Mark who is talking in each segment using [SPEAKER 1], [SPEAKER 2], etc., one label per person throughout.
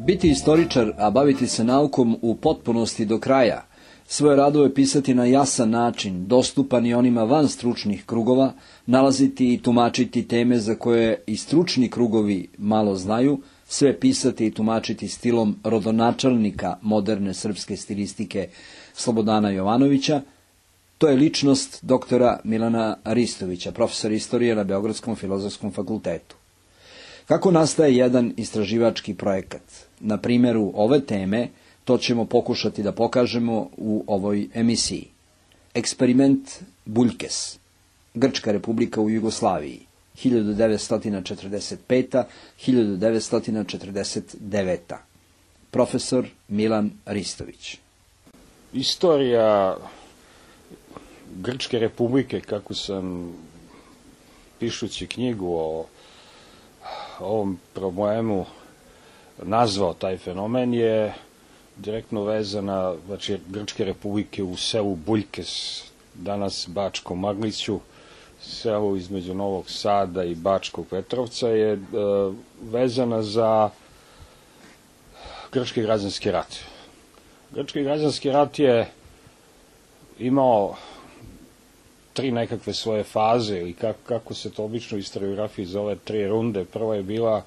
[SPEAKER 1] Biti istoričar, a baviti se naukom u potpunosti do kraja, svoje radove pisati na jasan način, dostupan i onima van stručnih krugova, nalaziti i tumačiti teme za koje i stručni krugovi malo znaju, sve pisati i tumačiti stilom rodonačelnika moderne srpske stilistike Slobodana Jovanovića, to je ličnost doktora Milana Ristovića, profesora istorije na Beogradskom filozofskom fakultetu. Kako nastaje jedan istraživački projekat? Na primjeru ove teme to ćemo pokušati da pokažemo u ovoj emisiji. Eksperiment Buljkes, Grčka republika u Jugoslaviji, 1945-1949. Profesor Milan Ristović.
[SPEAKER 2] Istorija Grčke republike, kako sam pišući knjigu o ovom problemu nazvao taj fenomen, je direktno vezana, znači, Grčke republike u selu Buljkes, danas Bačkom Magliću, selu između Novog Sada i Bačkog Petrovca, je vezana za Grčki građanski rat. Grčki građanski rat je imao tri nekakve svoje faze, ili kako se to obično u historiografiji zove, tri runde. Prva je bila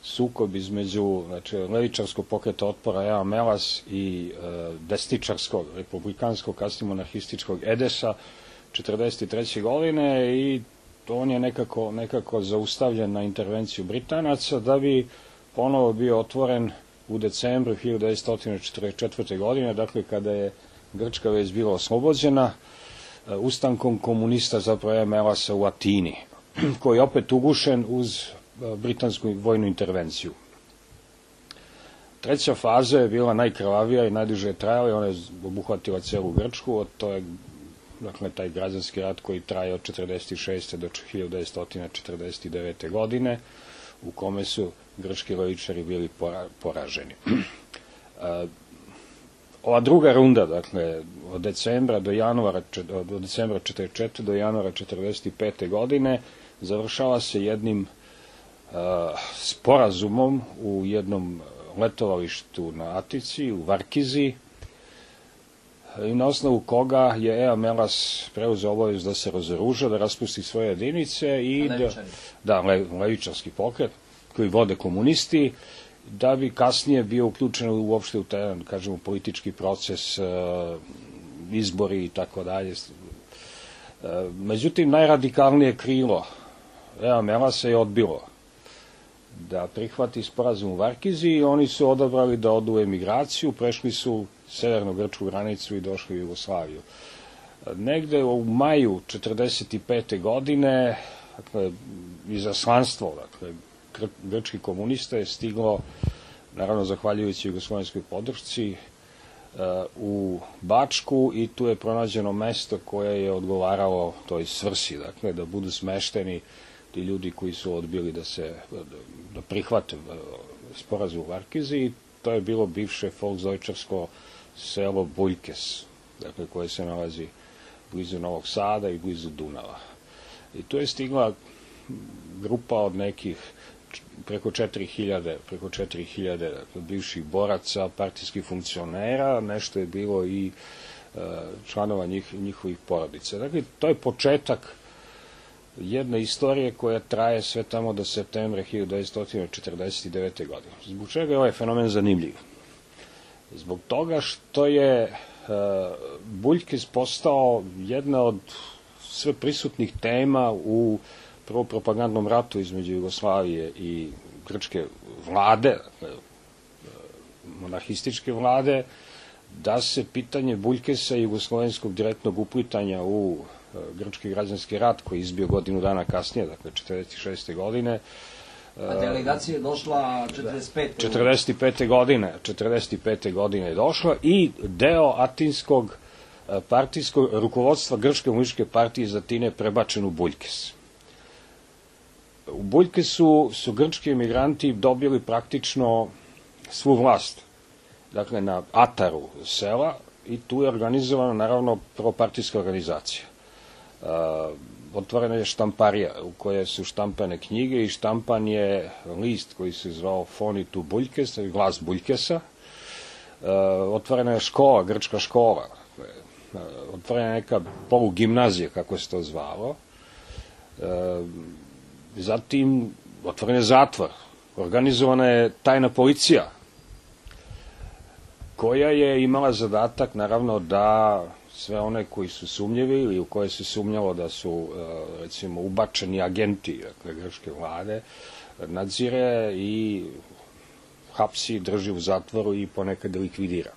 [SPEAKER 2] sukob između, znači, levičarskog pokreta otpora Ea Melas i desničarskog, republikanskog, kasnije monarhističkog Edesa 1943. godine, i on je nekako zaustavljen na intervenciju Britanaca, da bi ponovo bio otvoren u decembru 1944. godine, dakle kada je Grčka već bila oslobođena, ustankom komunista zapravo Ea Melasa u Atini, koji je opet ugušen uz britansku vojnu intervenciju. Treća faza je bila najkrvavija i najduže je trajala, ona je obuhvatila celu Grčku, to je, dakle, taj građanski rat koji traje od 1946. do 1949. godine, u kome su grčki levičari bili poraženi. Ova druga runda, dakle, od decembra 1944. do januara 1945. godine, završava se jednim sporazumom u jednom letovalištu na Atici, u Varkizi, i na osnovu koga je Ea Melas preuzeo obavezu da se razoruža, da raspusti svoje jedinice i levičarski pokret koji vode komunisti, da bi kasnije bio uključen uopšte u taj, kažemo, politički proces, izbori i tako dalje. Međutim, najradikalnije krilo Ea Melasa je odbilo da prihvati sporazum u Varkizi i oni su odabrali da odu u emigraciju, prešli su severnu grčku granicu i došli u Jugoslaviju. Negde u maju 1945. godine, dakle, izaslanstvo, dakle, grčki komunista je stiglo, naravno zahvaljujući jugoslovenskoj podršci, u Bačku, i tu je pronađeno mesto koje je odgovaralo toj svrsi, dakle, da budu smešteni ti ljudi koji su odbili da prihvate sporazum u Varkizi, i to je bilo bivše folksdojčarsko selo Buljkes, dakle, koje se nalazi blizu Novog Sada i blizu Dunava. I tu je stigla grupa od nekih preko 4000 dakle, bivših boraca, partijskih funkcionera, nešto je bilo i članova njihovih porodica. Dakle, to je početak jedne istorije koja traje sve tamo do septembra 1949. godine. Zbog čega je ovaj fenomen zanimljiv? Zbog toga što je Buljkes postao jedna od sve prisutnih tema u prvo propagandnom ratu između Jugoslavije i grčke vlade, monarhističke vlade, da se pitanje Buljkesa i jugoslovenskog direktnog uplitanja u grčki građanski rat, koji je izbio godinu dana kasnije, dakle 1946. godine.
[SPEAKER 1] A delegacija je došla
[SPEAKER 2] 45. godine je došla, i deo atinskog partijskog rukovodstva Grčke komunističke partije iz Atine prebačen u Buljkes. U Buljkesu su grčki emigranti dobili praktično svu vlast, dakle na ataru sela, i tu je organizovana naravno prvopartijska organizacija. Otvorena je štamparija u kojoj su štampane knjige i štampan je list koji se zvao Fonitu Buljkes, glas Buljkesa. Otvorena je škola, grčka škola. Otvorena je neka polugimnazija, kako se to zvalo. Zatim otvoren je zatvor. Organizovana je tajna policija, koja je imala zadatak, naravno, da sve one koji su sumnjivi ili u koje se sumnjalo da su, recimo, ubačeni agenti, dakle, grčke vlade, nadzire i hapsi, drži u zatvoru i ponekad likvidira.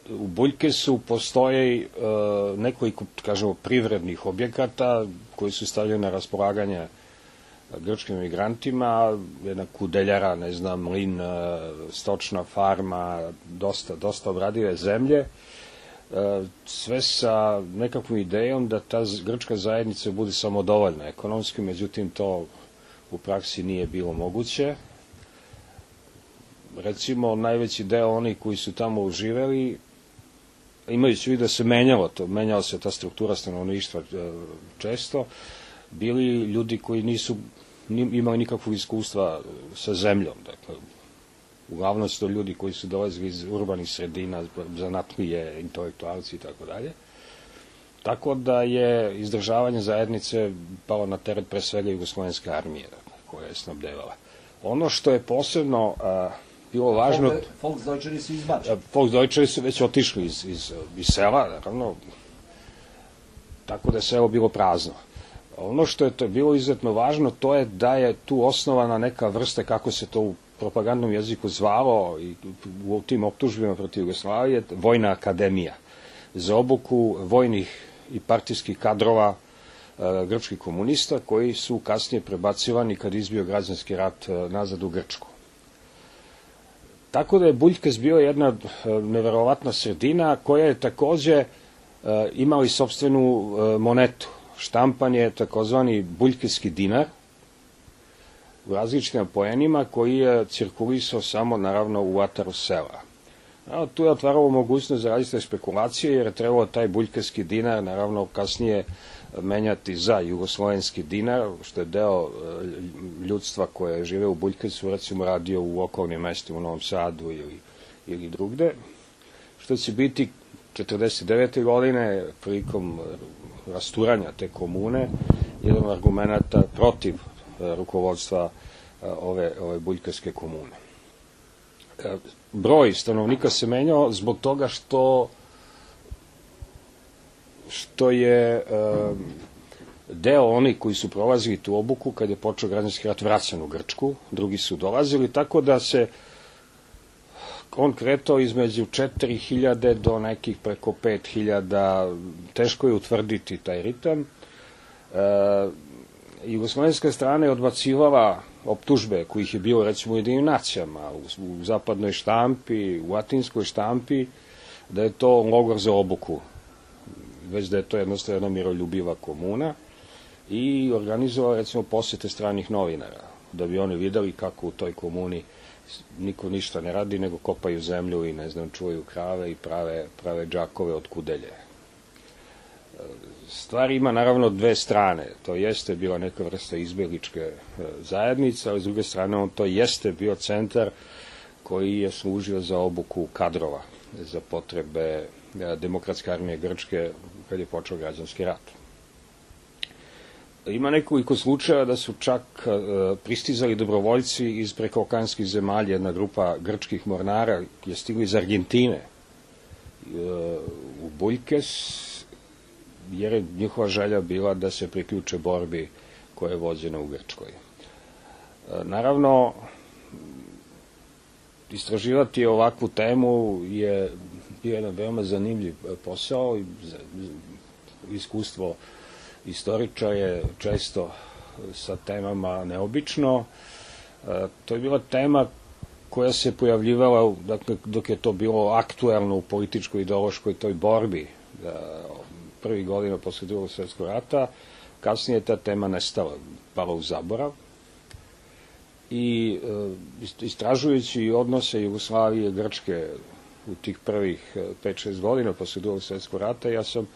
[SPEAKER 2] U Buljkesu postoje nekoliko, kažemo, privrednih objekata koji su stavljeni na raspolaganje grčkim emigrantima, jedna kudeljara, ne znam, mlin, stočna farma, dosta obradive zemlje, sve sa nekakvom idejom da ta grčka zajednica bude samodovoljna ekonomski, međutim to u praksi nije bilo moguće. Recimo, najveći deo onih koji su tamo živeli, imajući u vidu da se menjala se ta struktura stanovništva često, bili ljudi koji nisu imali nikakvog iskustva sa zemljom. Dakle, uglavnom su to ljudi koji su dolazili iz urbanih sredina, zanatlije, intelektualci i tako dalje. Tako da je izdržavanje zajednice palo na teret pre svega jugoslovenske armije, dakle, koja je snabdevala. Ono što je posebno bilo važno...
[SPEAKER 1] Volksdeutscheri su izbačeni.
[SPEAKER 2] Volksdeutscheri su već otišli iz sela, naravno, tako da je selo bilo prazno. Ono što je to bilo izuzetno važno, to je da je tu osnovana neka vrsta, kako se to u propagandnom jeziku zvalo i u tim optužbima protiv Jugoslavije, vojna akademija za obuku vojnih i partijskih kadrova grčkih komunista, koji su kasnije prebacivani kad izbio građanski rat nazad u Grčku. Tako da je Buljkes bio jedna neverovatna sredina koja je takođe imala i sopstvenu monetu. Štampan je takozvani buljkeski dinar u različitim poenima koji je cirkulisao samo, naravno, u ataru sela. Tu je otvaralo mogućnost za različite špekulacije, jer je trebalo taj buljkeski dinar, naravno, kasnije menjati za jugoslovenski dinar, što je deo ljudstva koje žive u Buljkesu, recimo, radio u okolnim mestima u Novom Sadu ili drugde, što će biti 1949. godine, prilikom rasturanja te komune, jedan od argumenta protiv rukovodstva ove buljkarske komune. Broj stanovnika se menjao zbog toga što je deo onih koji su prolazili tu obuku kad je počeo građanski rat vraćan u Grčku, drugi su dolazili, tako da se on kretao između 4.000 do nekih preko 5.000, teško je utvrditi taj ritam. Jugoslovenska strana je odbacivala optužbe kojih je bilo, recimo, u Jedinim nacijama, u zapadnoj štampi, u atinskoj štampi, da je to logor za obuku, već da je to jednostavno jedna miroljubiva komuna, i organizovala, recimo, posete stranih novinara, da bi oni videli kako u toj komuni niko ništa ne radi, nego kopaju zemlju i, ne znam, čuvaju krave i prave džakove od kudelje. Stvar ima, naravno, dve strane. To jeste bila neka vrsta izbjegličke zajednice, ali s druge strane on to jeste bio centar koji je služio za obuku kadrova za potrebe Demokratske armije Grčke kad je počeo građanski rat. Ima nekoliko slučaja da su čak pristizali dobrovoljci iz prekookeanskih zemalja, jedna grupa grčkih mornara je stigla iz Argentine u Buljkes, jer je njihova želja bila da se priključe borbi koja je vođena u Grčkoj. Naravno, istraživati ovakvu temu je jedan veoma zanimljiv posao, iskustvo istoričara je često sa temama neobično. To je bila tema koja se pojavljivala, dakle, dok je to bilo aktuelno u političkoj ideološkoj toj borbi prvih godina posle Drugog svjetskog rata. Kasnije je ta tema nestala, pala u zaborav. I istražujući odnose Jugoslavije i Grčke u tih prvih 5-6 godina posle Drugog svjetskog rata, ja sam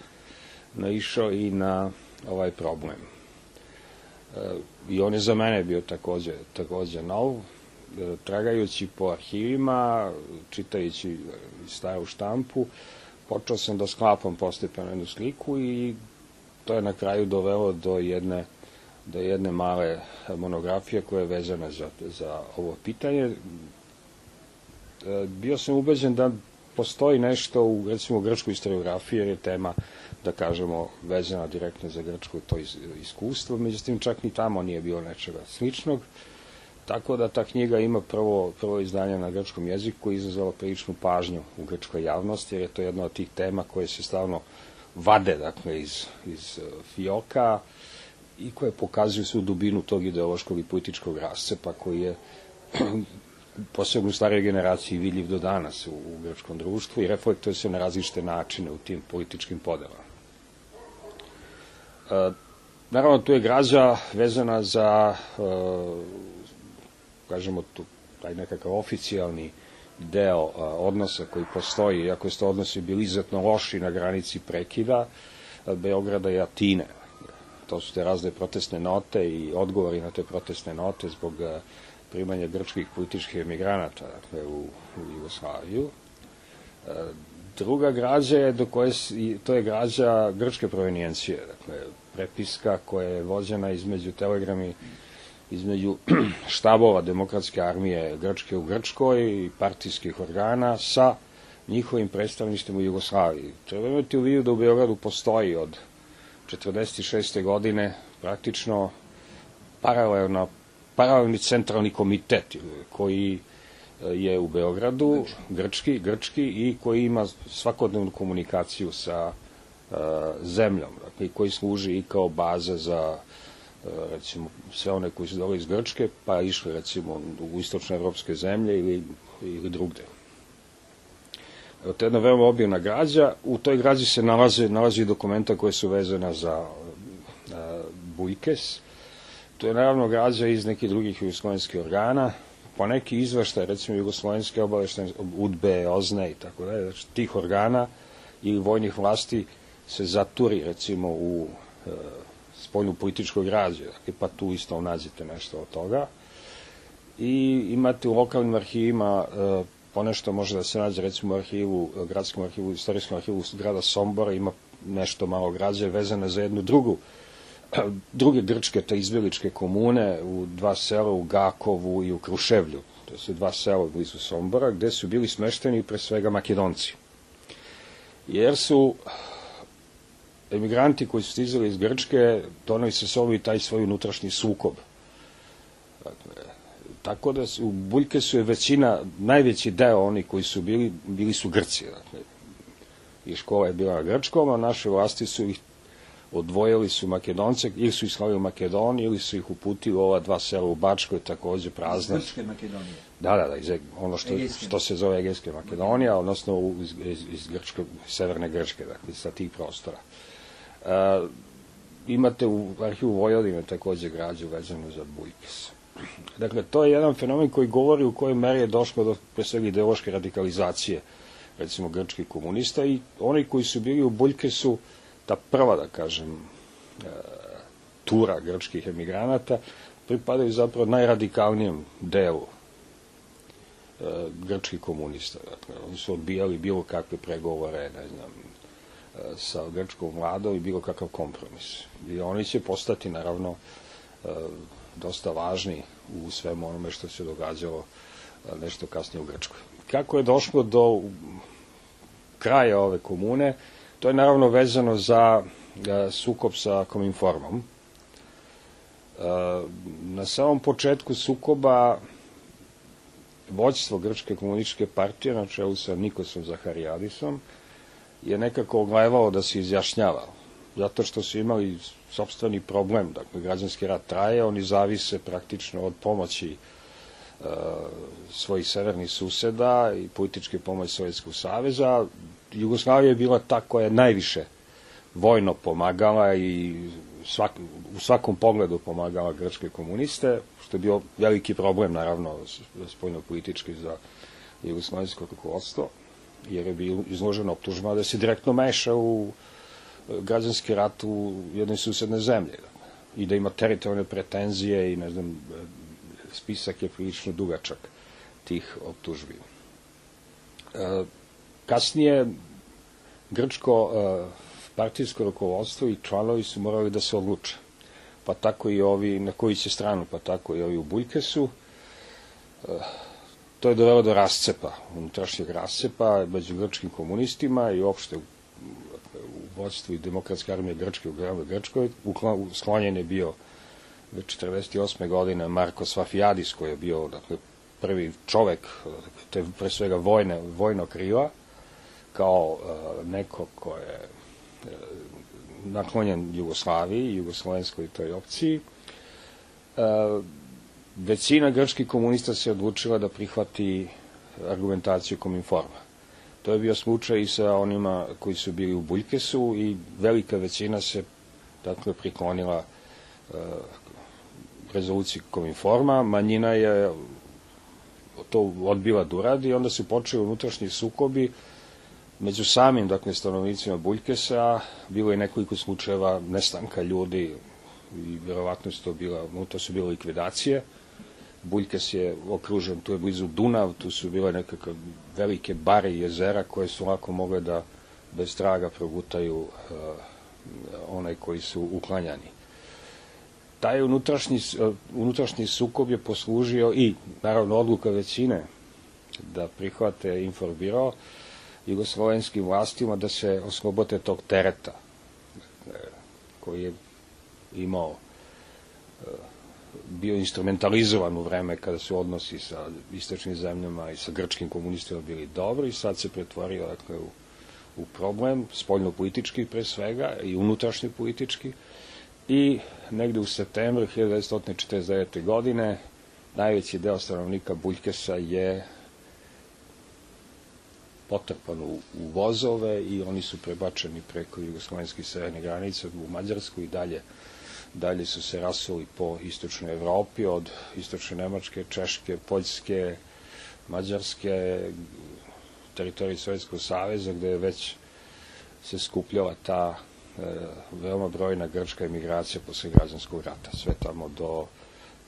[SPEAKER 2] naišao i na ovaj problem. I on je za mene bio takođe nov. Tragajući po arhivima, čitajući staru štampu, počeo sam da sklapam postepeno jednu sliku i to je na kraju dovelo do jedne male monografije koja je vezana za ovo pitanje. Bio sam ubeđen da postoji nešto u, recimo, grčkoj historiografiji, jer je tema, da kažemo, vezana direktno za Grčko to iskustvo, međutim čak ni tamo nije bilo nečega sličnog, tako da ta knjiga ima prvo izdanje na grčkom jeziku i izazvala priličnu pažnju u grčkoj javnosti, jer je to jedna od tih tema koje se stalno vade, dakle, iz fioka i koje pokazuju svu dubinu tog ideološkog i političkog rascepa koji je posebno u starijoj generaciji vidljiv do danas u grčkom društvu i reflektuje se na različite načine u tim političkim podelama. Naravno, tu je građa vezana za, kažemo, taj nekakav oficijalni deo odnosa koji postoji, iako su to odnosi bili izuzetno loši na granici prekida Beograda i Atine. To su te razne protestne note i odgovori na te protestne note zbog primanja grčkih političkih emigranata, dakle, u Jugoslaviju. Druga građa je to je građa grčke provenijencije, dakle, prepiska koja je vođena telegrami između štabova Demokratske armije Grčke u Grčkoj i partijskih organa sa njihovim predstavništem u Jugoslaviji. Treba imati u vidu da u Beogradu postoji od 1946. godine praktično paralelni centralni komitet koji je u Beogradu, grčki i koji ima svakodnevnu komunikaciju sa zemljom, dakle, koji služi i kao baza za, recimo, sve one koji su dole iz Grčke, pa išli, recimo, u istočne evropske zemlje ili drugde. To je jedna veoma obimna građa. U toj građi se nalazi dokumenta koje su vezana za Bujkes. To je naravno građa iz nekih drugih jugoslovenskih organa, po neki izveštaj, recimo jugoslovenske obaveštene, UDBE, OZNE i tako dalje, znači tih organa ili vojnih vlasti se zaturi, recimo, u spoljnu političku građu, dakle, pa tu isto nađete nešto od toga. I imate u lokalnim arhivima ponešto može da se nađe, recimo, u arhivu, gradskom arhivu, istorijskom arhivu grada Sombora ima nešto malo građe vezane za jednu druge grčke, te izbjegličke komune u dva sela, u Gakovu i u Kruševlju. To su dva sela blizu Sombora, gde su bili smešteni pre svega Makedonci. Jer su emigranti koji su stizali iz Grčke doneli sa sobom i taj svoj unutrašnji sukob. Dakle, tako da u Buljkesu je najveći deo oni koji su bili su Grci. Dakle, i škola je bila na grčkom, a naše vlasti su ih odvojili su Makedonce, ili su ih slali u Makedoniju, ili su ih uputili u ova dva sela u Bačkoj, takođe prazne.
[SPEAKER 1] Iz Grčke Makedonije?
[SPEAKER 2] Da, ono što se zove Egejske Makedonija, odnosno iz severne Grčke, dakle, sa tih prostora. Imate u arhivu Vojvodine takođe građu vezanu za Bujkes. Dakle, to je jedan fenomen koji govori u kojoj meri je došlo do pre svega ideološke radikalizacije, recimo, grčkih komunista, i oni koji su bili u Buljkesu, ta prva, da kažem, tura grčkih emigranata, pripadaju zapravo najradikalnijem delu grčkih komunista. Dakle, oni su odbijali bilo kakve pregovore, ne znam, sa grčkom vladom i bilo kakav kompromis. I oni će postati, naravno, dosta važni u svemu onome što se događalo nešto kasnije u Grčkoj. Kako je došlo do kraja ove komune? To je naravno vezano za sukob sa Kominformom. Na samom početku sukoba vođstvo Grčke komunističke partije, na čelu sa Nikosom Zaharijadisom, je nekako oglajevalo da se izjašnjava, zato što su imali sopstveni problem, dakle, građanski rat traje, oni zavise praktično od pomoći svojih severnih suseda i političke pomoći Sovjetskog saveza. Jugoslavija je bila ta koja je najviše vojno pomagala i u svakom pogledu pomagala grčke komuniste, što je bio veliki problem, naravno, spoljno-politički za jugoslovensko rukovodstvo, jer je bilo izloženo optužbama da se direktno meša u građanski rat u jednoj susedne zemlje i da ima teritorijalne pretenzije i, ne znam, spisak je prilično dugačak tih optužbi. Kasnije, grčko partijsko rukovodstvo i članovi su morali da se odluče. Pa tako i ovi, na koju će stranu, pa tako i ovi u Buljkesu. To je dovelo do rascepa, unutrašnjeg rascepa među grčkim komunistima i uopšte u vodstvu i Demokratske armije Grčke u gradu Grčkoj. Sklonjen je bio 1948. godine Marko Safijadis, koji je bio prvi čovek, te pre svega vojno krila, kao neko ko je naklonjen Jugoslaviji, jugoslovenskoj toj opciji. Većina grčkih komunista se odlučila da prihvati argumentaciju Kominforma. To je bio slučaj i sa onima koji su bili u Buljkesu i velika većina se priklonila rezoluciji Kominforma. Manjina je to odbila da uradi i onda su počeli unutrašnji sukobi među samim, stanovnicima Buljkesa. Bilo je nekoliko slučajeva nestanka ljudi i verovatno to su bile likvidacije. Buljkes je okružen, tu je blizu Dunav, tu su bile nekakve velike bare i jezera koje su lako mogle da bez traga progutaju onaj koji su uklanjani. Taj unutrašnji sukob je poslužio i, naravno, odluka većine da prihvate Inforbiro jugoslovenskim vlastima da se oslobode tog tereta koji je bio instrumentalizovan u vreme kada su odnosi sa istočnim zemljama i sa grčkim komunistima bili dobri i sad se pretvorio u problem, spoljno-politički pre svega i unutrašnji politički. I negde u septembru 1949. godine najveći deo stanovnika Buljkesa je potrpan u vozove i oni su prebačeni preko jugoslovenskih severne granice u Mađarsku i dalje su se rasuli po istočnoj Evropi, od istočne Nemačke, Češke, Poljske, Mađarske, teritorije Sovjetskog saveza, gde je već se skupljala ta veoma brojna grčka emigracija posle građanskog rata, sve tamo do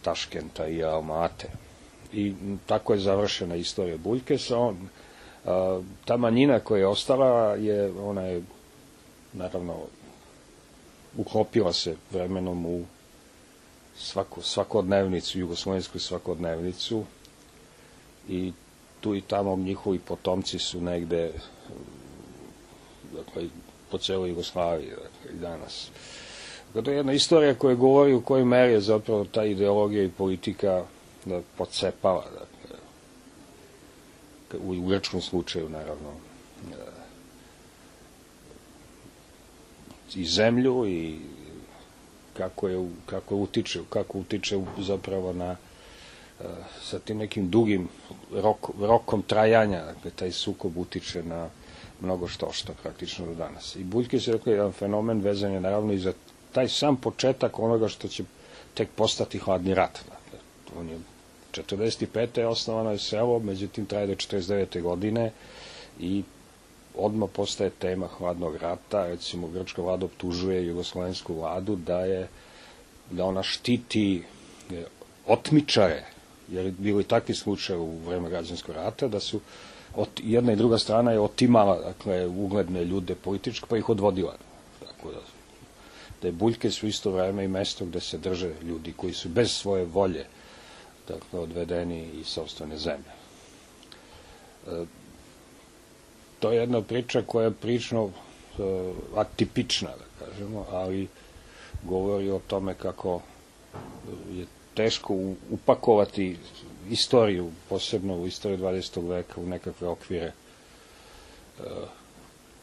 [SPEAKER 2] Taškenta i Almate. I tako je završena istorija Buljkesa. Ta manjina koja je ostala, ona je, naravno, uklopila se vremenom u svakodnevnicu, jugoslovensku svakodnevnicu i tu i tamo njihovi potomci su negde po celoj Jugoslaviji i danas. To je jedna istorija koja govori u kojoj meri je zapravo ta ideologija i politika pocepala, u grčkom slučaju, naravno, i zemlju i kako utiče zapravo sa tim nekim dugim rokom trajanja, taj sukob utiče na mnogo što praktično do danas. I Buljkes je jedan fenomen vezan je naravno i za taj sam početak onoga što će tek postati hladni rat. On je 1945. je osnovano je selo, međutim traje do 1949. godine i odmah postaje tema hladnog rata. Recimo, grčka vlada optužuje jugoslovensku vladu da ona štiti otmičare, jer je bilo i takvi slučaj u vreme građanskog rata, da su jedna i druga strana je otimala ugledne ljude političke, pa ih odvodila. Tako da je Buljkes u isto vreme i mesto gde se drže ljudi koji su bez svoje volje odvedeni iz sopstvene zemlje. To je jedna priča koja je prilično atipična, da kažemo, ali govori o tome kako je teško upakovati istoriju, posebno u istoriju 20. veka, u nekakve okvire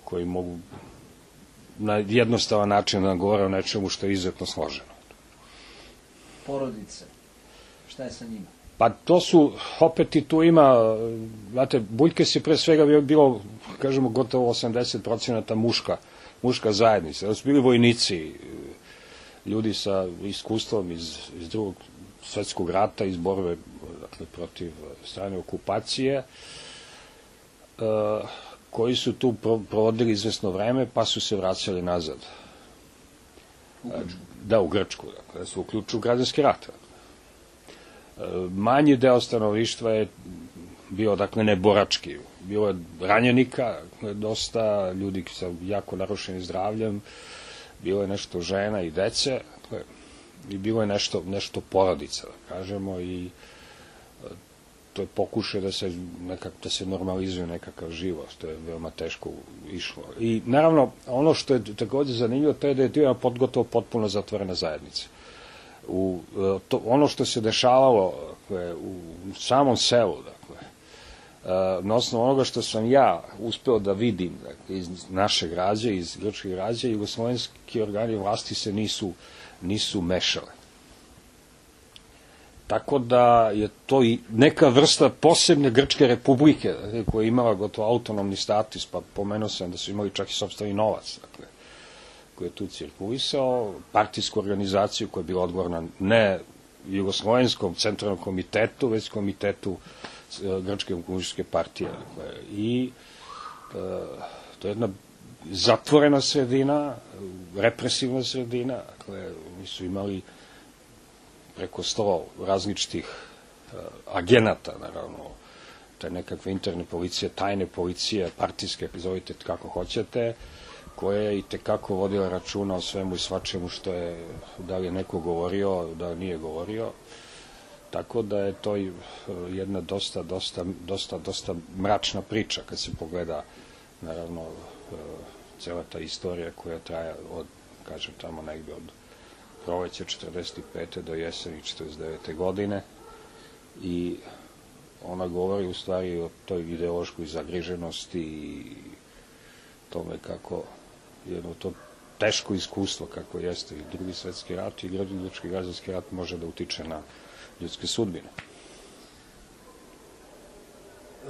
[SPEAKER 2] koji mogu na jednostavan način da govore o nečemu što je izuzetno složeno.
[SPEAKER 1] Porodice, šta je sa njima?
[SPEAKER 2] Pa to su, opet i tu ima, znate, Buljkes je pre svega bilo, kažemo, gotovo 80% muška zajednica. Da su bili vojnici, ljudi sa iskustvom iz drugog svetskog rata, iz borbe, dakle, protiv strane okupacije, koji su tu provodili izvesno vreme, pa su se vraćali nazad.
[SPEAKER 1] U Grčku?
[SPEAKER 2] Da, u Grčku, dakle, da su uključili u građanski rat. Manji deo stanovništva je bio, dakle, neborački. Bilo je ranjenika, dosta ljudi sa jako narušenim zdravljem, bilo je nešto žena i dece, i bilo je nešto porodica, da kažemo, i to je pokušaj da se normalizuje nekakav život, što je veoma teško išlo. I naravno, ono što je takođe zanimljivo, to je da je to gotovo potpuno zatvorena zajednica. Ono što se dešavalo u samom selu, na osnovu onoga što sam ja uspeo da vidim iz naše građe, iz grčke građe, jugoslovenski organi vlasti se nisu mešale. Tako da je to i neka vrsta posebne Grčke republike, koja je imala gotovo autonomni status, pa pomenuo sam da su imali čak i sopstveni novac, koji je tu cirkulisao, partijsku organizaciju koja je bila odgovorna ne Jugoslovenskom centralnom komitetu, već komitetu Grčke komunističke partije. I to je jedna zatvorena sredina, represivna sredina, oni su imali preko 100 različitih agenata, naravno, te nekakve interne policije, tajne policije, partijske, zovite kako hoćete, koje je i tekako vodila računa o svemu i svačemu što je, da li je neko govorio, da li nije govorio. Tako da je to jedna dosta mračna priča kad se pogleda, naravno, cela ta istorija koja traja od, kažem, tamo negde od proleća 45. do jeseni 49. godine i ona govori u stvari o toj ideološkoj zagriženosti i tome kako jedno to teško iskustvo kako jeste i Drugi svetski rat i Grčki građanski rat može da utiče na ljudske sudbine.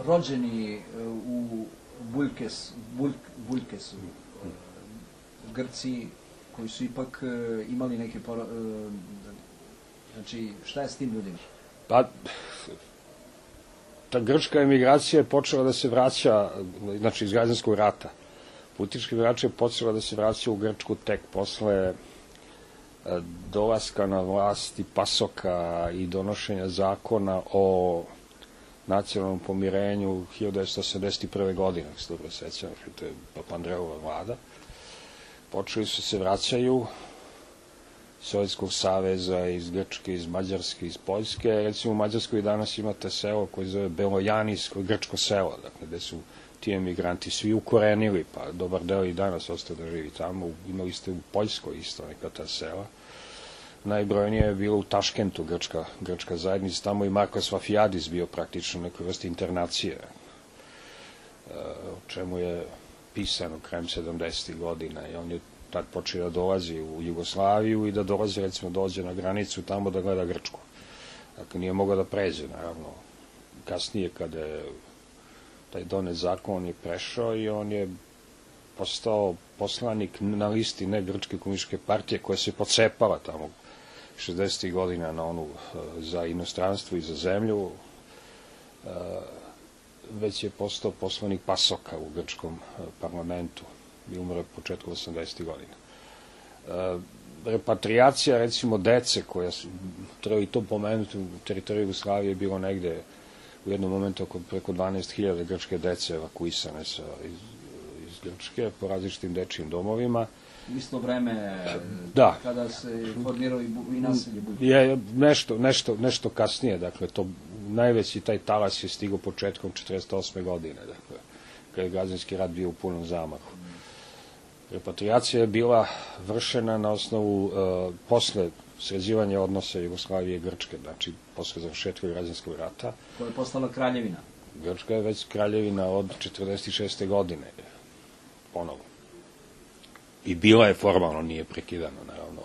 [SPEAKER 1] Rođeni u Buljkesu, Grci koji su ipak imali neke znači, šta je s tim ljudima?
[SPEAKER 2] Pa, ta grčka emigracija je počela da se vraća, znači iz građanskog rata. Politička emigracija je počela da se vraća u Grčku tek posle dolaska na vlast i Pasoka i donošenja zakona o nacionalnom pomirenju 1981. godine, ako se dobro sećam, to je Papandreova vlada. Počeli su se vraćaju Sovjetskog saveza, iz Grčke, iz Mađarske, iz Poljske. Recimo u Mađarskoj danas imate selo koje zove Belojanijsko grčko selo, dakle, gde su ti emigranti svi ukorenili, pa dobar deo i danas ostao da živi tamo. Imali ste u Poljskoj isto neka ta sela. Najbrojnije je bilo u Taškentu grčka zajednica, tamo i Markos Vafijadis bio praktično neka vrsta internacije, o čemu je pisano krajem 70. godina i on je tad počeo da dolazi u Jugoslaviju i da dolazi, recimo, dođe na granicu tamo da gleda Grčku. Dakle, nije mogao da pređe, naravno. Kasnije, kada je taj donet zakon, on je prešao i on je postao poslanik na listi ne Grčke komunističke partije koja se pocepala tamo 60. godina na onu za inostranstvo i za zemlju, već je postao poslanik Pasoka u grčkom parlamentu i umre početku 80. godina. Repatriacija, recimo, dece koja su, treba i to pomenuti, u teritoriji Jugoslavije je bilo negde u jednom momentu preko 12.000 grčke dece evakuisane iz Grčke po različitim dečijim domovima.
[SPEAKER 1] Isto vreme kada se formirao i naselje Buljke.
[SPEAKER 2] Je nešto kasnije, dakle, to najveći taj talas je stigao početkom 48. godine, dakle, kada je građanski rat bio u punom zamahu. Repatriacija je bila vršena na osnovu posle sređivanja odnosa Jugoslavije i Grčke, znači posle završetka građanskog rata.
[SPEAKER 1] Koja je postala kraljevina.
[SPEAKER 2] Grčka je već kraljevina od 46. godine, ponovo. I bila je formalno, nije prekidano, naravno.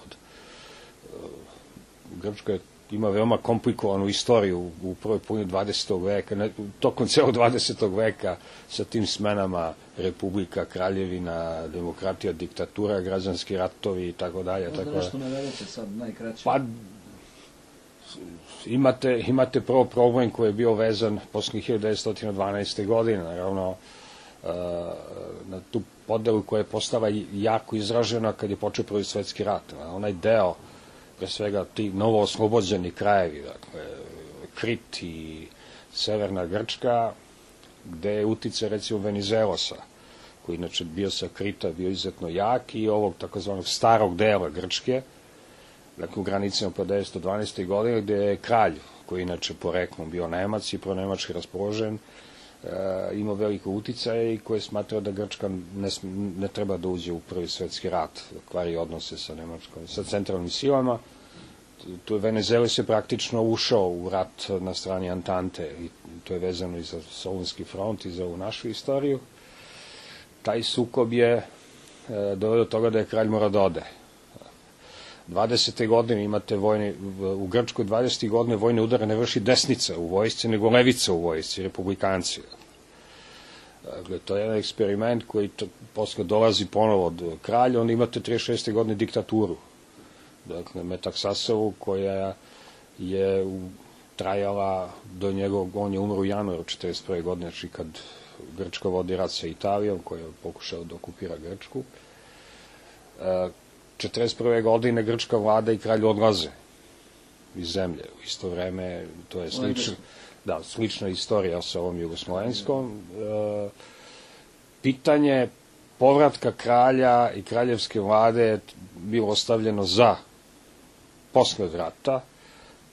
[SPEAKER 2] Grčka je ima veoma komplikovanu istoriju u prvoj polovini 20. veka, tokom celog 20. veka sa tim smenama republika, kraljevina, demokratija, diktatura, građanski ratovi i tako dalje.
[SPEAKER 1] Možda nešto navedete sad najkraće.
[SPEAKER 2] Pa, imate prvo problem koji je bio vezan posle 1912. godine, naravno, na tu podelu koja je postala jako izražena kad je počeo Prvi svetski rat. Onaj deo, pre svega ti novo oslobođeni krajevi, dakle, Krit i severna Grčka, gde je uticaj recimo Venizelosa, koji inače bio sa Krita, bio izuzetno jak, i ovog takozvanog starog dela Grčke, dakle u granicama po 1912. godine, gde je kralj, koji inače poreklom bio Nemac i pronemački raspoložen, imao veliko uticaje i koji je smatrao da Grčka ne treba da uđe u Prvi svetski rat, da kvari odnose sa Nemačkom, sa centralnim silama. Tu je Venizelos je praktično ušao u rat na strani Antante i to je vezano i za Solunski front i za ovu našu istoriju. Taj sukob je doveo do toga da je kralj morao da ode. 20. godine imate u Grčkoj 20. godine vojne udare ne vrši desnica u vojsci, nego levica u vojsci, republikanci. Dakle, to je jedan eksperiment koji posle dolazi ponovo od kralja, onda imate 36. godine diktaturu. Dakle, Metaksasovu, koja je trajala do njegovog, on je umro u januaru 1941. godine, znači kad Grčka vodi rat sa Italijom, koja je pokušao da okupira Grčku. 1941. godine grčka vlada i kralj odlaze iz zemlje. U isto vreme, to je slična istorija sa ovom jugoslovenskom. Pitanje povratka kralja i kraljevske vlade je bilo ostavljeno za posle rata.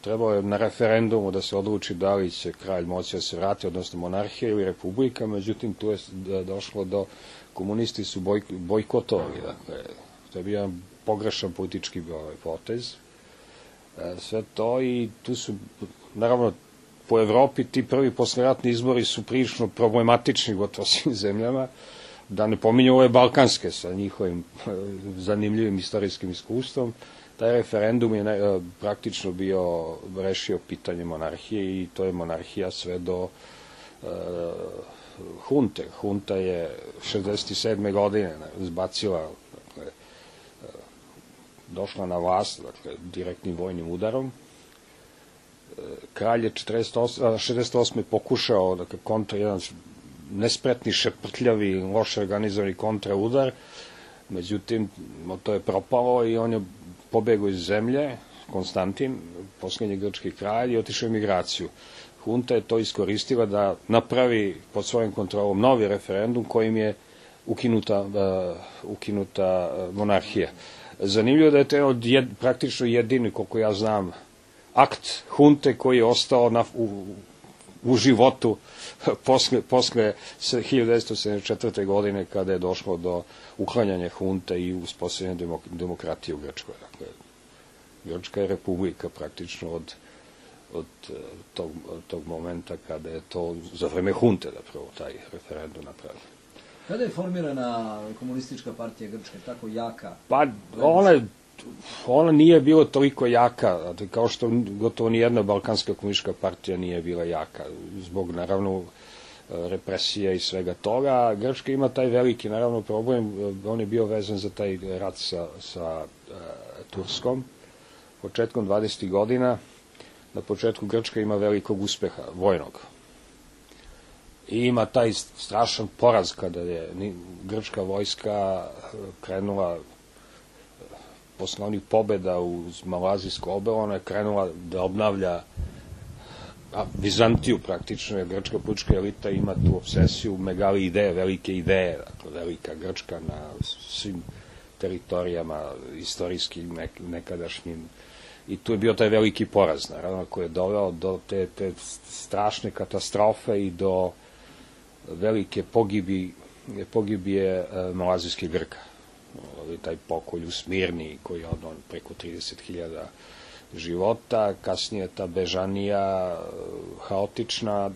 [SPEAKER 2] Trebalo je na referendumu da se odluči da li će kralj moći da se vrati, odnosno monarhija ili republika, međutim tu je došlo do, komunisti su bojkotovali, dakle, to je bio pogrešan politički potez. Sve to i tu su, naravno, po Evropi ti prvi posleratni izbori su prilično problematični gotovo svim zemljama, da ne pominju ove balkanske sa njihovim zanimljivim istorijskim iskustvom. Taj referendum je praktično bio rešio pitanje monarhije i to je monarhija sve do hunte. Hunta je 67. godine zbacila, došla na vlast, dakle, direktnim vojnim udarom. Kralj je 68. pokušao, dakle, jedan nespretni, šeprtljavi, loše organizovani kontraudar, međutim, to je propalo i on je pobegao iz zemlje, Konstantin, poslednji grčki kralj, i otišao u emigraciju. Hunta je to iskoristila da napravi pod svojom kontrolom novi referendum kojim je ukinuta monarhija. Zanimljivo da je to praktično jedini, koliko ja znam, akt hunte koji je ostao u životu posle 1974. godine kada je došlo do uklanjanja hunte i uspostavljanja demokratije u Grčkoj. Dakle, Grčka je republika praktično od tog momenta kada je to za vreme hunte da prvo taj referendum napravio.
[SPEAKER 1] Kada je formirana komunistička partija Grčke, tako jaka?
[SPEAKER 2] Pa, ona nije bila toliko jaka, kao što gotovo nijedna balkanska komunistička partija nije bila jaka, zbog, naravno, represije i svega toga. Grčka ima taj veliki, naravno, problem, on je bio vezan za taj rat sa Turskom. Početkom 20. godina, na početku Grčka ima velikog uspeha, vojnog. I ima taj strašan poraz kada je grčka vojska krenula posle onih pobeda uz Malazijsko obrvo, ona je krenula da obnavlja Vizantiju praktično, jer grčka politička elita ima tu obsesiju, megali ideje, velike ideje, dakle, velika Grčka na svim teritorijama istorijskim, nekadašnjim. I tu je bio taj veliki poraz, naravno, koji je doveo do te strašne katastrofe i do velike pogibije malazijskih Grka. Taj pokolj u Smirni koji je odno preko 30.000 života, kasnije ta bežanija haotična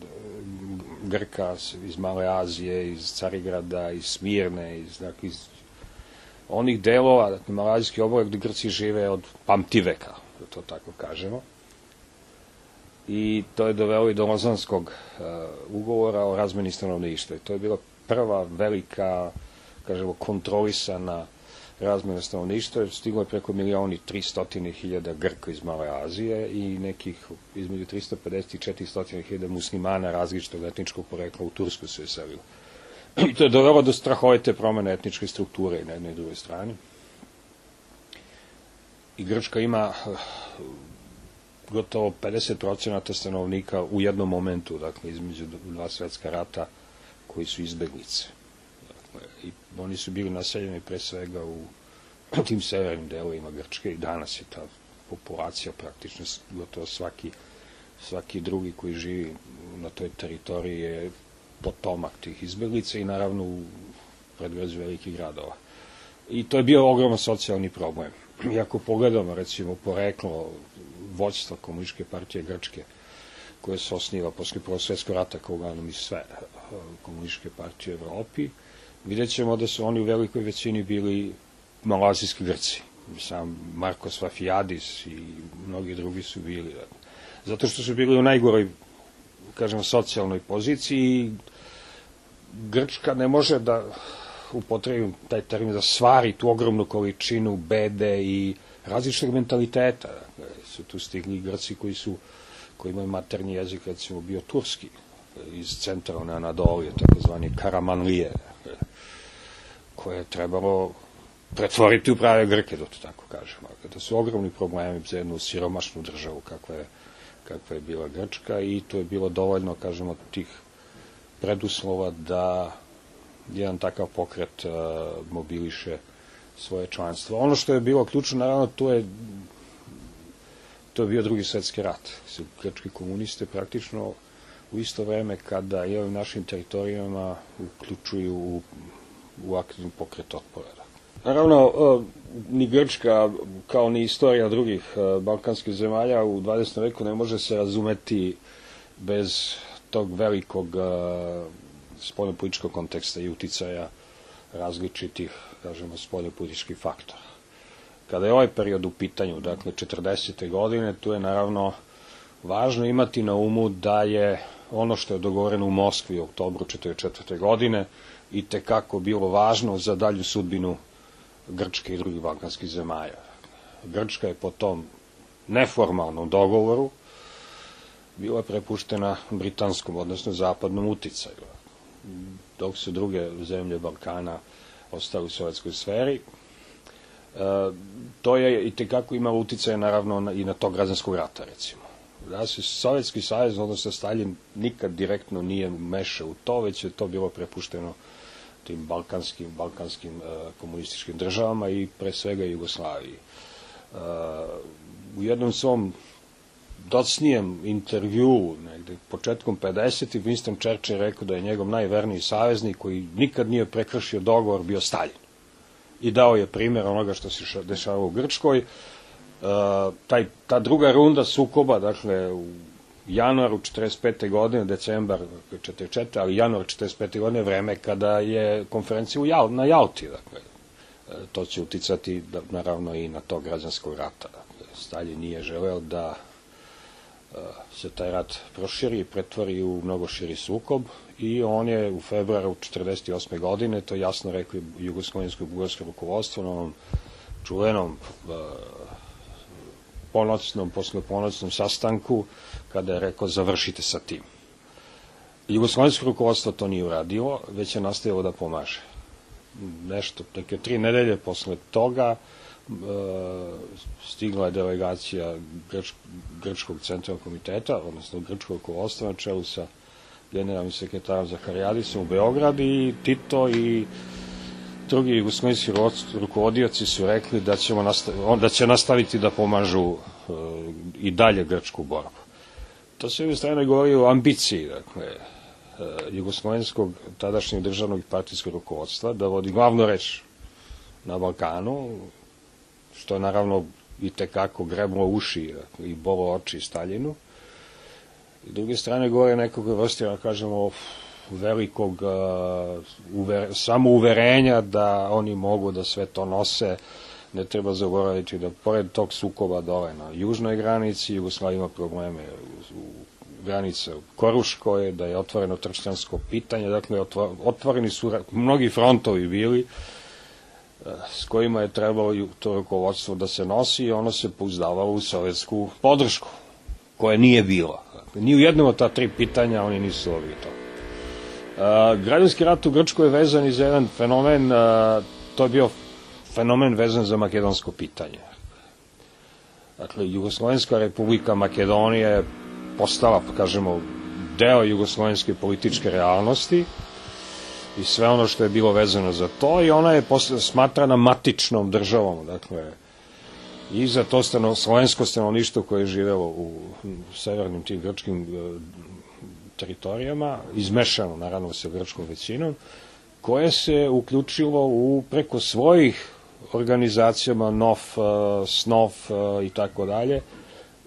[SPEAKER 2] Grka iz Male Azije, iz Carigrada, iz Smirne, iz onih delova, malazijski oblak gde Grci žive od pamtiveka, da to tako kažemo. i to je dovelo i do Lozanskog ugovora o razmeni stanovništva. To je bila prva velika, kažemo, kontrolisana razmjena stanovništva. Stiglo je preko 1.300.000 Grka iz Male Azije i nekih između 350 i 400.000 muslimana različitog etničkog porekla u Tursku se je selilo. I to je dovelo do strahovite promene etničke strukture na jednoj i drugoj strani. I Grčka ima gotovo 50% stanovnika u jednom momentu, dakle, između dva svetska rata, koji su izbeglice. Dakle, i oni su bili naseljeni pre svega u tim severnim delovima Grčke i danas je ta populacija praktično gotovo svaki drugi koji živi na toj teritoriji je potomak tih izbeglica i naravno u predgrađu velikih gradova. I to je bio ogroman socijalni problem. I ako pogledamo, recimo, poreklo vođstva Komunističke partije Grčke, koje se osniva posle Prvog svjetskog rata, kao uglavnom i sve komunističke partije u Evropi, vidjet ćemo da su oni u velikoj većini bili malazijski Grci. Sam Markos Vafijadis i mnogi drugi su bili. Zato što su bili u najgoroj, kažemo, socijalnoj poziciji i Grčka ne može da upotrebim taj termin da stvari tu ogromnu količinu bede i različitog mentaliteta. Su tu stigli Grci koji imaju maternji jezik, recimo bio turski, iz centralne Anadolije, takozvani Karamanlije, koje je trebalo pretvoriti u prave Grke, da to tako kažemo. To su ogromni problemi za jednu siromašnu državu kakva je bila Grčka i to je bilo dovoljno, kažemo, tih preduslova da jedan takav pokret mobiliše svoje članstvo. Ono što je bilo ključno, naravno, to je bio Drugi svetski rat. Grčki komuniste praktično u isto vreme kada i ovim našim teritorijama uključuju u aktivni pokret otpora. Naravno, ni Grčka, kao ni istorija drugih balkanskih zemalja u 20. veku ne može se razumeti bez tog velikog spoljnopolitičkog konteksta i uticaja različitih, kažemo, spoljnopolitičkih faktora. Kada je ovaj period u pitanju, dakle 40. godine, tu je naravno važno imati na umu da je ono što je dogovoreno u Moskvi u oktobru 1944. godine i tekako bilo važno za dalju sudbinu Grčke i drugih balkanskih zemalja. Grčka je po tom neformalnom dogovoru bila prepuštena britanskom, odnosno zapadnom uticaju, dok su druge zemlje Balkana ostale u sovjetskoj sferi. To je i tekako imalo uticaje, naravno, i na tog građanskog rata, recimo. Da se Sovjetski savez, odnosno Staljin, nikad direktno nije mešao u to, već je to bilo prepušteno tim balkanskim komunističkim državama i pre svega Jugoslaviji. U jednom svom docnijem intervjuu, negde početkom 50. Winston Churchill rekao da je njegov najverniji saveznik koji nikad nije prekršio dogovor bio Staljin. I dao je primjer onoga što se dešavalo u Grčkoj. Ta druga runda sukoba, dakle, u januaru 45. godine, decembar 44. ali januar 45. godine, vreme kada je konferencija na Jalti. Dakle, to će uticati, naravno, i na to građanskog rata. Dakle, Staljin nije želeo da se taj rat proširi i pretvori u mnogo širi sukob i on je u februaru 1948. godine to jasno rekao jugoslovensko i bugarsko rukovodstvo na onom čuvenom posleponoćnom sastanku kada je rekao završite sa tim. Jugoslovensko rukovodstvo to nije uradilo, već je nastavilo da pomaže. Nešto, neke 3 nedelje posle toga stigla je delegacija Grčkog centralnog komiteta, odnosno Grčkog rukovodstva na čelu sa generalnim sekretarom Zaharijadisom u Beograd i Tito i drugi jugoslovenski rukovodioci su rekli da će nastaviti da pomažu i dalje grčku borbu. To se u strane govori o ambiciji, dakle, jugoslovenskog tadašnjeg državnog i partijskog rukovodstva da vodi glavnu reč na Balkanu, što je naravno i tekako greblo uši i bolo oči Staljinu. I druge strane govore nekog vrste, da kažemo, velikog samouverenja da oni mogu da sve to nose ne treba zaboraviti da pored tog sukoba dole na južnoj granici Jugoslavija ima probleme u granice u Koruškoj, da je otvoreno tršćansko pitanje, dakle otvoreni su mnogi frontovi bili s kojima je trebalo to rukovodstvo da se nosi i ono se pouzdavalo u sovjetsku podršku, koje nije bilo. Dakle, ni u jednom od ta tri pitanja oni nisu dobili to. Građanski rat u Grčkoj je vezan i za jedan fenomen, to je bio fenomen vezan za makedonsko pitanje. Dakle, Jugoslovenska republika Makedonija je postala, kažemo, deo jugoslovenske političke realnosti i sve ono što je bilo vezano za to i ona je smatrana matičnom državom, dakle, i za to slovensko stanovništvo koje je živelo u severnim tim grčkim teritorijama, izmešano naravno sa grčkom većinom, koje se uključilo preko svojih organizacijama NOF, SNOF i tako dalje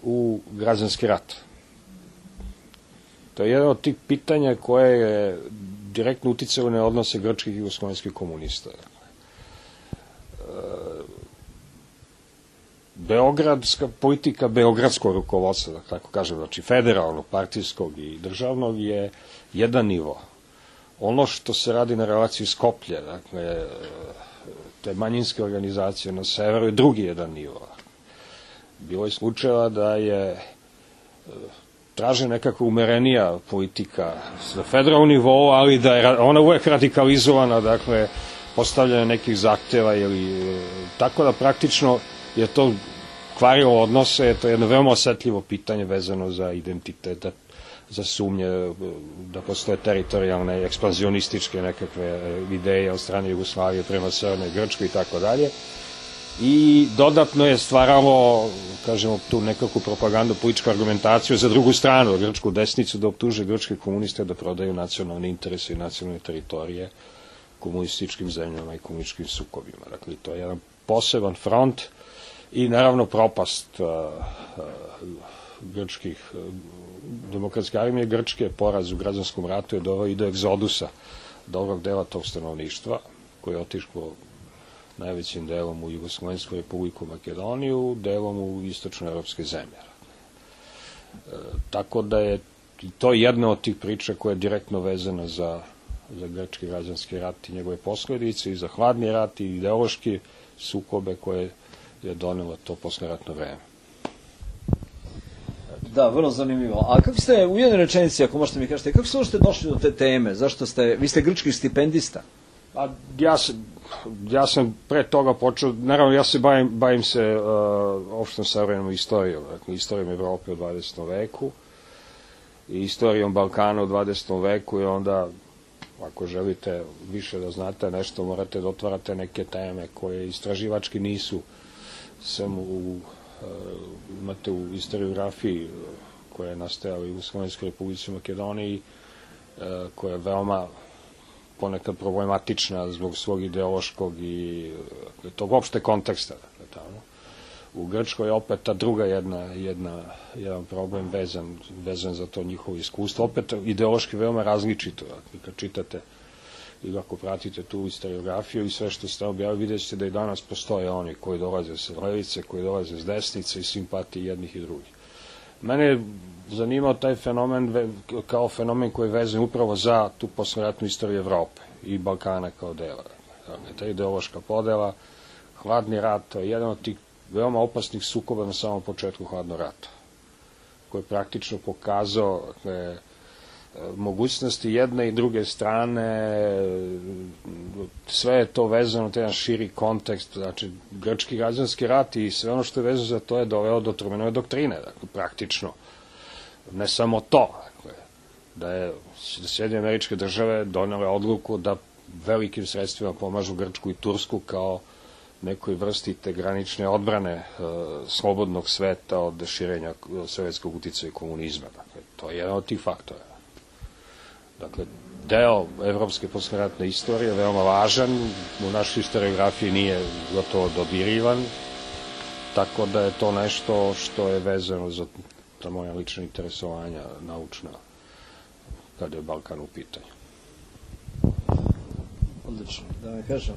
[SPEAKER 2] u građanski rat. To je jedan od tih pitanja koje je direktno uticalo na odnose grčkih i jugoslovenskih komunista. Beogradska politika, beogradskog rukovodstva, da tako kažem, znači federalnog, partijskog i državnog je jedan nivo. Ono što se radi na relaciji Skoplje, dakle, te manjinske organizacije na severu je drugi jedan nivo. Bilo je slučajeva da je traže nekako umerenija politika na federalnom nivou, ali da je ona uvek radikalizovana, dakle, postavljanje nekih zahteva ili tako da praktično je to kvarilo odnose, to je jedno veoma osetljivo pitanje vezano za identitet, za sumnje da postoje teritorijalne, ekspanzionističke nekakve ideje od strane Jugoslavije prema Severnoj Grčkoj i tako dalje. I dodatno je stvaralo, kažemo, tu nekakvu propagandu, političku argumentaciju za drugu stranu, grčku desnicu, da optuže grčke komuniste da prodaju nacionalne interese i nacionalne teritorije komunističkim zemljama i komunističkim sukobima. Dakle, to je jedan poseban front i naravno propast grčkih demokratske armije Grčke, poraz u građanskom ratu je doveo i do egzodusa dobrog dela tog stanovništva, koje je otišlo najvećim delom u Jugoslovensku republiku Makedoniju, delom u istočnoevropske zemlje. Tako da je to jedna od tih priča koja je direktno vezana za grčki građanski rat i njegove posledice i za hladni rat i ideološki sukobe koje je donelo to posleratno vreme.
[SPEAKER 1] Da, vrlo zanimljivo. A kako ste, u jednoj rečenici, ako možete mi kažete, kako ste uopšte došli do te teme? Zašto vi ste grčki stipendista?
[SPEAKER 2] Ja sam pre toga počeo, naravno ja se bavim se opštom savremenom istorijom, dakle, istorijom Evrope u 20. veku i istorijom Balkana u 20. veku i onda, ako želite više da znate nešto, morate da otvarate neke teme koje istraživački nisu, samo imate u historiografiji koja je nastajala u Jugoslovenskoj republici Makedoniji, koja je veoma ponekad problematična zbog svog ideološkog i tog opšte konteksta. U Grčkoj je opet ta druga jedan problem vezan za to njihovo iskustvo. Opet ideološki veoma različito. Kad čitate ili ako pratite tu historiografiju i sve što ste objavili, vidjet ćete da i danas postoje oni koji dolaze s levice, koji dolaze s desnice i simpatije jednih i drugih. Mene je zanimao taj fenomen kao fenomen koji je vezan upravo za tu posleratnu istoriju Evrope i Balkana kao dela. Ta ideološka podela, hladni rat, to je jedan od tih veoma opasnih sukoba na samom početku hladnog rata, koji je praktično pokazao mogućnosti jedne i druge strane, sve je to vezano u jedan širi kontekst, znači grčki građanski rat i sve ono što je vezano za to je doveo do Trumanove doktrine, dakle, praktično. Ne samo to, dakle, da Sjedinjene Američke Države donele odluku da velikim sredstvima pomažu Grčku i Tursku kao nekoj vrsti te granične odbrane slobodnog sveta od širenja sovjetskog uticaja i komunizma. Dakle, to je jedan od tih faktora. Dakle, deo evropske posleratne istorije, veoma važan, u našoj historiografiji nije gotovo dodirivan, tako da je to nešto što je vezano za moja lična interesovanja naučna, kada je Balkan u pitanju.
[SPEAKER 1] Odlično, da vam kažem.